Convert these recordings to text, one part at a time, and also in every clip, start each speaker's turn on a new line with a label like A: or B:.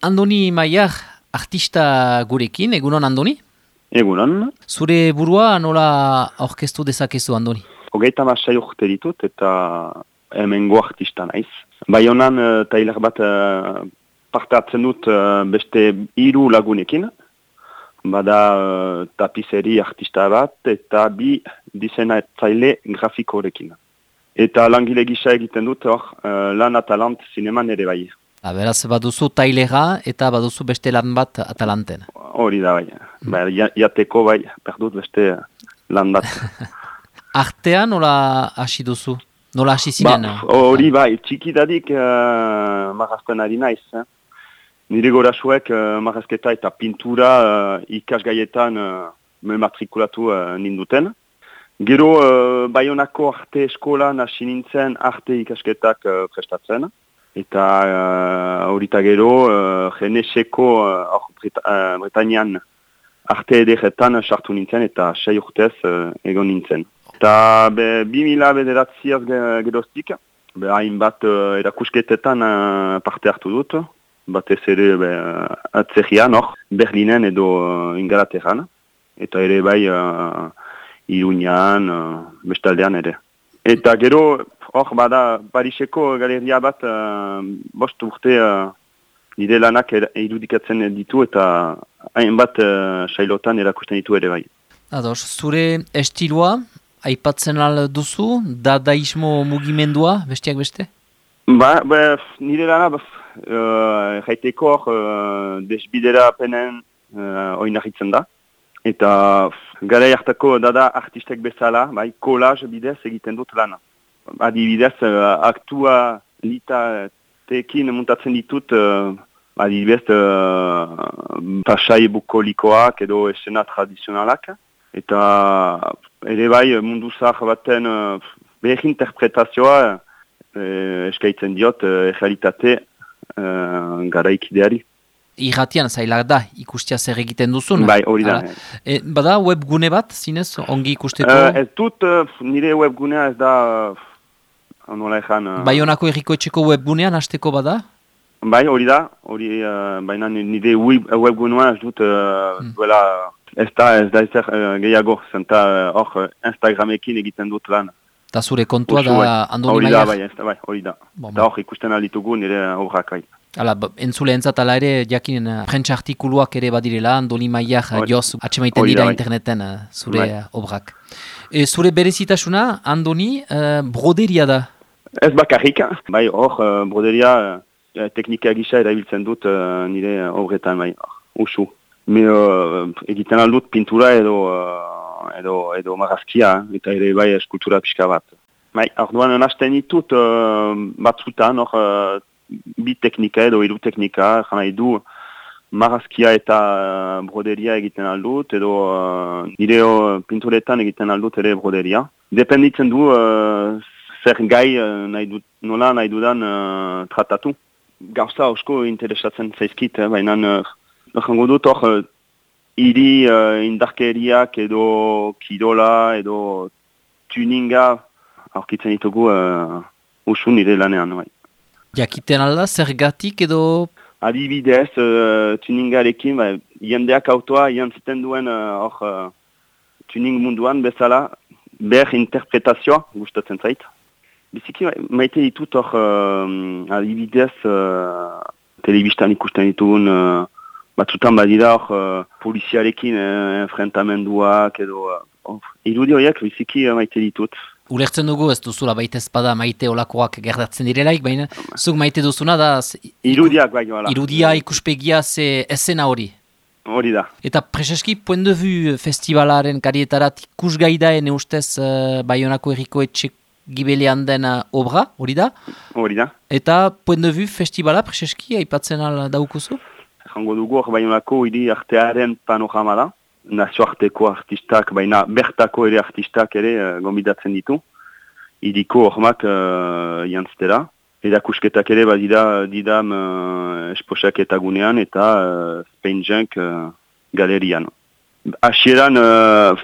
A: Andoni Maiar, artista gurekin, egunon Andoni?
B: Egunon.
A: Zure burua nola aurkeztu dezakezu Andoni?
B: 36 urte ditut eta hemengo artista naiz. Baionan tailer bat parte hartzen dut beste 3 lagunekin. Bada tapizeri artista bat eta 2 diseinatzaile grafikorekin. Eta langile gisa egiten dut hor lan Atalant zineman ere bai.
A: Beraz, baduzu tailera eta baduzu beste lan bat Atalanten.
B: Hori da bai. Jateko bai, perdut beste lan bat.
A: Artea nola hasi duzu? Nola hasi zinen?
B: Hori bai, txikidadik marrazten ari naiz. Nire gorasuek marrazketa eta pintura ikasgaietan me matrikulatu ninduten. Gero Baionako arte eskolan hasi nintzen arte ikasketak prestatzen. Eta horita gero Geneseko Bretañan arte ederretan sartu nintzen eta 6 urtez egon nintzen. Eta 2000 bederatziaz geroztik, hainbat erakusketetan parte hartu dut, batez ere atzerrian hor, Berlinen edo Ingalaterran, eta ere bai Iruñan, bestaldean ere. Eta gero, hor bada Pariseko galeria bat 5 urte nire lanak irudikatzen ditu eta hainbat sailotan erakusten ditu ere bai.
A: Ados, zure estiloa aipatzen al duzu, dadaismo mugimendua, besteak beste?
B: Nire lana jaiteko desbidera apenen oinarritzen da. Eta garai hartako dada artistek bezala, collage bidez egiten dut lana. Adibidez, aktualitatekin muntatzen ditut, adibidez, pasai bukolikoak edo esena tradizionalak. Eta ere bai mundu zahar baten behar interpretazioa eskaitzen diot realitate garaikideari.
A: Irratian zailak da, ikustia zer egiten duzun?
B: Bai, hori da.
A: Bada webgune bat, zinez, ongi ikusteko?
B: Ez dut, nire webgunea ez da, nola ezan...
A: Baionako Herrikoetxeko webgunean hasteko bada?
B: Bai, hori da, baina nire webgunea ez dut, duela, ez da ezer gehiago, zenta hor Instagramekin egiten dut lan.
A: Eta zure kontua da Andoni Maiar?
B: Hori da. Eta hor ikusten alditugu nire obrak bai.
A: Entzule entzat ala ere, jakinen prentsa artikuluak ere badirela, Andoni Maiar joz atxemaiten dira interneten zure obrak. Zure berezitasuna, Andoni, broderia da?
B: Ez bakarrik, bai hor, broderia teknika gisa erabiltzen dut nire obretan, bai, usu. Egiten aldut pintura edo marrazkia, eta ere bai eskultura pixka bat. Bai, orduan hasten ditut batzutan, hor, 2 teknika edo 3 teknika, jana edu marrazkia eta broderia egiten aldut, edo nire pinturetan egiten aldut ere broderia. Dependitzen du zer gai nola nahi dudan tratatu. Gauza osko interesatzen zaizkit, baina jango dut hor hiri indarkeriak edo kirola edo tuninga aurkitzen ditugu usu nire lanean. Bai.
A: Jakiten alda, zergatik edo?
B: Adibidez, tuningarekin, jendeak autoa jantziten duen tuning munduan bezala, ber interpretazioa gustatzen zait. Biziki maite ditut hor, adibidez, telebistan ikusten ditugun, batzutan badira hor, poliziarekin enfrentamenduak edo, irudi horiek biziki maite ditut.
A: Ulertzen dugu ez duzula baita ezpada maite olakoak gertatzen direlaik, baina zuk maite duzuna da...
B: Irudiak bai, wala.
A: Irudia, ikuspegia, esena hori.
B: Hori da.
A: Eta preseski, Point de Vue festivalaren karietarat ikusgai da ene ustez Baionako Herrikoetxe gibelean den obra, hori da?
B: Hori da.
A: Eta Point de Vue festivala preseski aipatzen al daukuzu?
B: Jango dugu hor Baionako hiri artearen panorama da. Nazioarteko artistak, baina bertako ere artistak ere gombidatzen ditu. Iriko hormak jantztera. Erakusketak ere badira didam esposak eta gunean eta Spain Junk galerian. Hasieran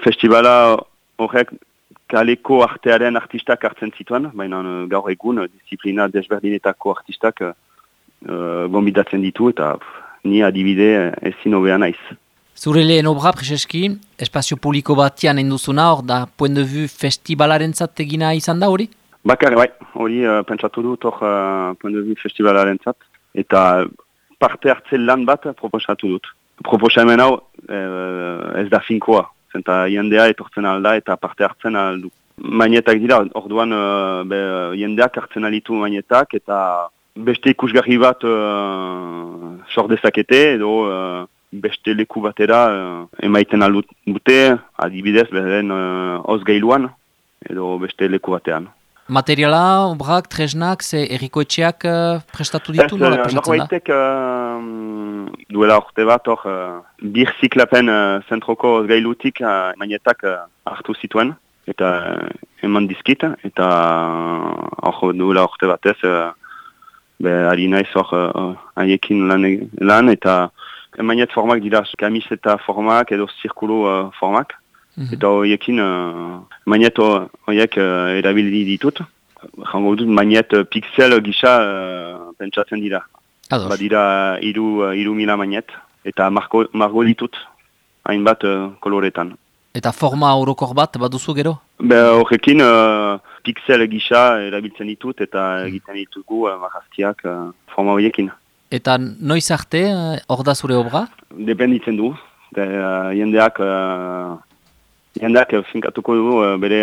B: festivala horrek kaleko artearen artistak hartzen zituen, baina gaur egun disiplina desberdinetako artistak gombidatzen ditu eta ni adibide ezin hobea naiz.
A: Zure lehen obra, prezeski, espazio publiko batian enduzuna, hor da, point de vue festivalaren egina izan da hori?
B: Bakar, bai, hori pentsatu dut hor point de vue festivalaren eta parte hartze lan bat proposatu dut. Proposamen hau ez da finkoa, zenta jendea etortzen alda eta parte hartzen aldu. Mainetak dira, orduan jendeak hartzen alitu mainetak eta beste ikusgarri bat sor dezakete edo beste leku batera emaiten aldute, adibidez beren osgailuan edo beste leku batean.
A: Materiala, obrak, tresnak, ze errikoetxeak prestatu ditu?
B: Norbaitek duela urte bat bir ziklapen zentroko osgailutik mainetak hartu zituen eta eman dizkit eta duela urte batez ari naiz haiekin lan eta mainet formak dira kamiseta formak edo zirkulu formak. Eta horiekin mainet horiek erabili ditut. Jango dut mainet pixel gisa pentsatzen dira. Badira 3.000 mainet eta margo ditut hainbat koloretan.
A: Eta forma orokor bat baduzu gero?
B: Horrekin pixel gisa erabiltzen ditut eta egiten ditugu marrazkiak forma horiekin.
A: Eta noiz arte hor da zure obra?
B: Dependitzen du. Jendeak finkatuko du bere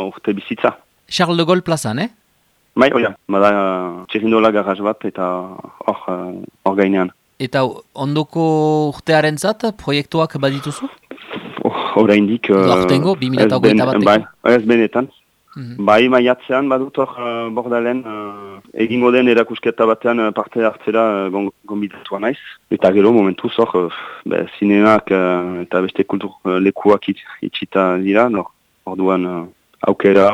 B: urte bizitza.
A: Charles de Gaulle plazan,
B: Bai, oia. Bada txerindola garraz bat eta hor gainean.
A: Eta ondoko urtearen zat, proiektuak badituzu?
B: Oraindik...
A: Hortengo, 2008 bateko?
B: Bai, ez benetan. Bai, maiatzean badut hor Bordalen egingo den erakusketa batean parte hartzera gonbidatua naiz. Eta gero momentuz hor zinemak eta beste kultur lekuak itxita dira. Orduan aukera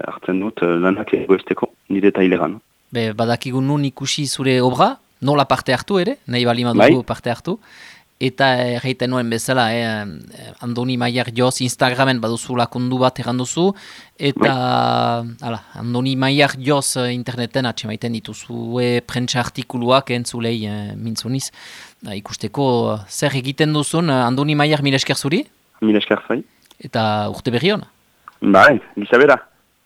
B: hartzen dut lanak egoesteko nire taileran.
A: Badakigun nun ikusi zure obra, nola parte hartu ere, nahi bali madugu parte hartu. Eta erraiten nuen bezala, Andoni Maier Joz Instagramen baduzu lakundu bat erranduzu, eta Andoni Maier Joz interneten atxemaiten dituzue prentsa artikuluak entzulei mintzuniz. Ikusteko zer egiten duzun, Andoni Maier mila esker zuri?
B: Mila esker zai.
A: Eta urte berri hona?
B: Bai, gizabera.